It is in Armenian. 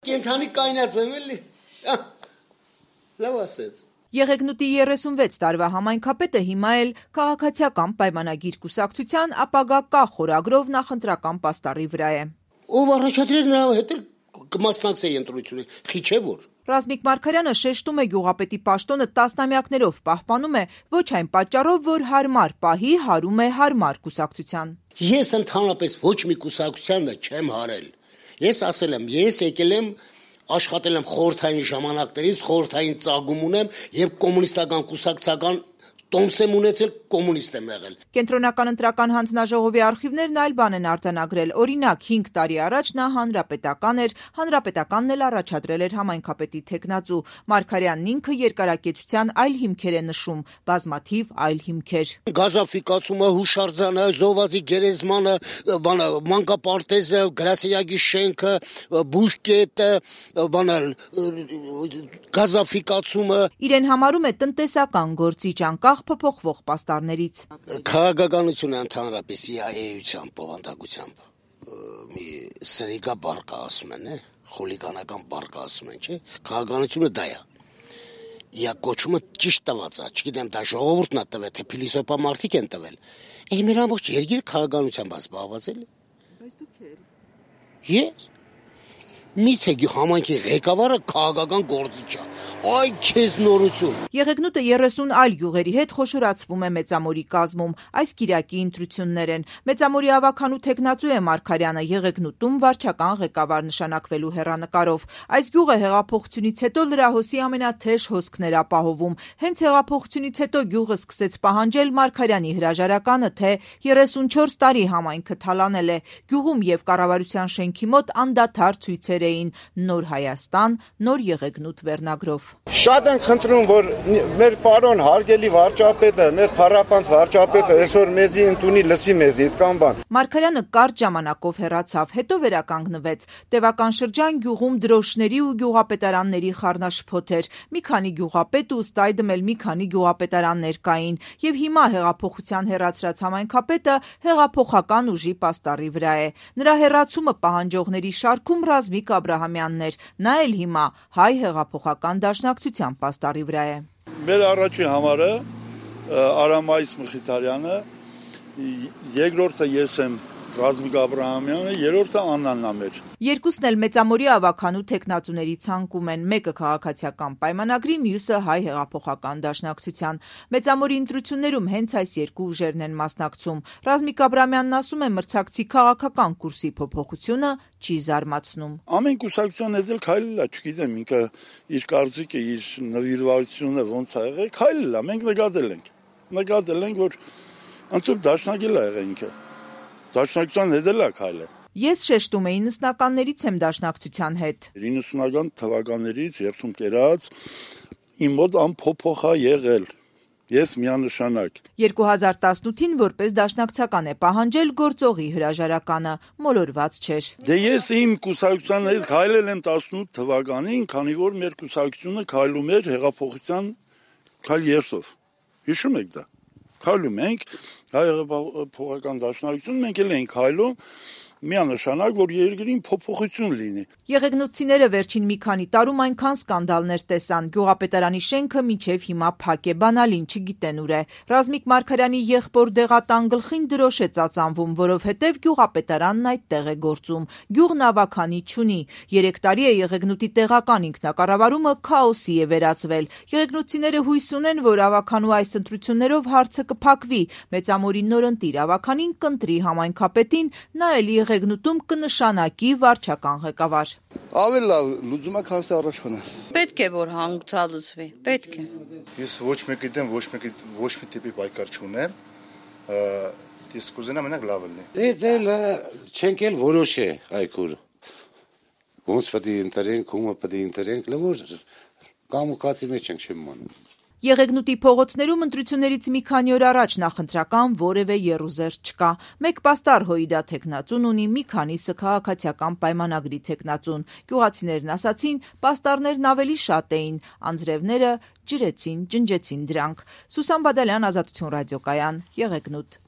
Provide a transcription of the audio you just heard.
Կենթանի կայնած եմ էլի, լավ ասեց։ Եղեգնուտի 36 տարվա համայնքապետը հիմա էլ քաղաքացիական պայմանագիր կուսակցության ապագա կա խորագրով նախընտրական պաստառի վրա է։ Ով առաջադրել նրա հետ էլ կմասնակցեի ընտրությունին, խի չէ որ։ Ռազմիկ Մարգարյանը շեշտում է գյուղապետի պաշտոնը տասնամյակներով պահպանում է ոչ այն պատճառով, որ հարմար պահի հարում է հարմար կուսակցության։ Ես ընդհանրապես ոչ մի կուսակցության չեմ հարել։ Ես ասել եմ, ես եկել եմ աշխատել եմ խորհրդային ժամանակներից, խորհրդային ծագում ունեմ եւ կոմունիստական կուսակցական տոմս եմ ունեցել, կոմունիստ եմ եղել։ Կենտրոնական ընտրական հանձնաժողովի արխիվներն այլ բան են արձանագրել։ Օրինակ 5 տարի առաջ նա հանրապետական էր, հանրապետականն էլ առաջադրել էր համայնքապետի թեկնածու։ Մարգարյանն ինքը երկարակեցության այլ հիմքեր է նշում, բազմաթիվ այլ հիմքեր։ Գազաֆիկացումը, հուշարձանը, զոհվածի գերեզմանը, մանկապարտեզը, գրասենյակի շենքը, բուժկետը, գազաֆիկացումը։ Իրեն համարում է տնտեսական գործիչ անկախ փոփոխվող պաստառներից։ Քաղաքականությունը ընդհանրապես էությամբ, բովանդակությամբ մի սրիկա բառ ասում են, խոլիգանական բառ ասում են, չէ՞։ Քաղաքականությունը դա է։ Իա կոչումը ճիշտ տված է, չգիտեմ դա ժողովուրդն է տվել, թե փիլիսոփա մարդիկ են տվել։ Մեր ամբողջ երկիրը քաղաքականությամբ զբաղված է։ Բայց դուք եք։ Ես միթե համայնքի ղեկավարը քաղաքական գործիչ է։ Այ քեզ նորություն։ Եղեգնուտը 30 այլ գյուղերի հետ խոշորացվում է Մեծամորի կազմում, այս կիրակի ընտրություններ են։ Մեծամորի ավագանու թեկնածու է Մարգարյանը, Եղեգնուտում վարչական ղեկավար նշանակվելու հեռանկարով։ Այս գյուղը հեղափոխությունից հետո լրահոսի ամենաթեժ հոսքն էր ապահովում։ Հենց հեղափոխությունից հետո գյուղը սկսեց պահանջել Մարգարյանի հրաժարականը, թե 34 տարի համայնքը թալանել է։ Գյուղում եւ կառավարության շենքի մոտ անդադար ցույցեր էին «Նոր Հայաստան», «Նոր Եղեգնուտ» վերնագրով։ Շատ ենք խնդրում, որ մեր պարոն հարգելի վարչապետը, մեր փառապանց վարչապետը այսօր մեզի ընդունի, լսի մեզի, այդքան բան։ Մարգարյանը կարճ ժամանակով հեռացավ, հետո վերականգնվեց։ Տևական շրջան գյուղում դրոշների ու գյուղապետարանների խառնաշփոթ էր։ Մի քանի գյուղապետ ու ըստ այդմ էլ մի քանի գյուղապետարաններ կային։ Եվ հիմա հեղափոխության հեռացրած համայնքապետը հեղափոխական ուժի պաստառի վրա է։ Նրա հեռացումը պահանջողների շարքում Ռազմիկ Աբրահամյանն էր։ Նա էլ հիմա հայ հեղափոխական դաշնակցության պաստառի վրա է։ Մեր առաջին համարը Արամայիս Մխիթարյանը, երկրորդը ես եմ Ռազմիկ Աբրահամյանը, երրորդը Աննան Նամեր։ Երկուսն էլ Մեծամորի ավագանու թեկնածուների ցանկում են, մեկը քաղաքացիական պայմանագրի, մյուսը հայ հեղափոխական դաշնակցության։ Մեծամորի ընտրություններում հենց այս երկու ուժերն են մասնակցում։ Ռազմիկ Աբրահամյանն ասում է, մրցակցի քաղաքական կուրսի փոփոխությունը չի զարմացնում։ Ամեն կուսակցության հետ էլ քայլել է, չգիտեմ, ինքը իր կարծիքը, իր նվիրվածությունը ոնց է եղել, քայլել է, մենք նկատել ենք, որ ընդհանուր դաշնակել է եղել ինքը։ Դաշնակցության հետ էլ է քայլել։ Ես շեշտում էի նստականներից եմ դաշնակցության հետ։ 90-ական թվականներից երթում կերած իմ մոտ անփոփոխ է եղել։ Ես միանշանակ։ 2018-ին որպես դաշնակցական է պահանջել գործողի հրաժարականը, մոլորված չէր։ Դե ես իմ կուսակցության հետ քայլել եմ 18 թվականին, քանի որ մեր կուսակցությունը քայլում էր հեղափոխության քայլ երթով։ Հիշում եք դա։ Քայլում ենք, հայ հեղափոխական դաշնակցություն, մենք էլ ենք քայլում միանշանակ, որ երկրին փոփոխություն լինի։ Եղեգնուտցիները վերջին մի քանի տարում այնքան սկանդալներ տեսան, գյուղապետարանի շենքը մինչև հիմա փակ է, բանալին չգիտեն ուր է։ Ռազմիկ Մարգարյանի եղբոր դեղատան գլխին դրոշ է ծածանվում, որովհետև գյուղապետարանն այդտեղ է գործում։ Գյուղն ավագանի չունի։ 3 տարի է Եղեգնուտի տեղական ինքնակառավարումը քաոսի է վերածվել։ Եղեգնուտցիները հույս ունեն, որ ավագանու այս ընտրություններով հարցը կփակվի։ Մեծամորի նորընտիր ավագանին կընտրի համայնքապետին, նա էլ Եղեգնուտում կնշանակի վարչական ղեկավար։ Ավելի լավ լուծումը քան առաջվանը։ Պետք է որ հանգուցալուծվի, պետք է։ Ես ոչ մեկի դեմ ոչ մի տիպի պայքար չունեմ։ Ես կուզենամ մենակ լավ լինի։ Դե չենք էլ որոշե այգուր։ Ոնց պետք է ընտրենք, ումը պետք է ընտրենք, լավ կամ կացի մեջ ենք չեմ մոնում։ Եղեգնուտի փողոցներում ընտրություններից մի քանի օր առաջ նախընտրական որևէ եռուզեռ չկա։ Մեկ պաստառ հոիդա թեկնածուն ունի, մի քանիսը քաղաքացիական պայմանագրի թեկնածուն։ Գյուղացիներն ասացին, պաստառներն ավելի շատ էին, անձրևները ջրեցին, ջնջեցին դրանք։ Սուսան Բադալյան, Ազատություն ռադիոկայան, Եղեգնուտ։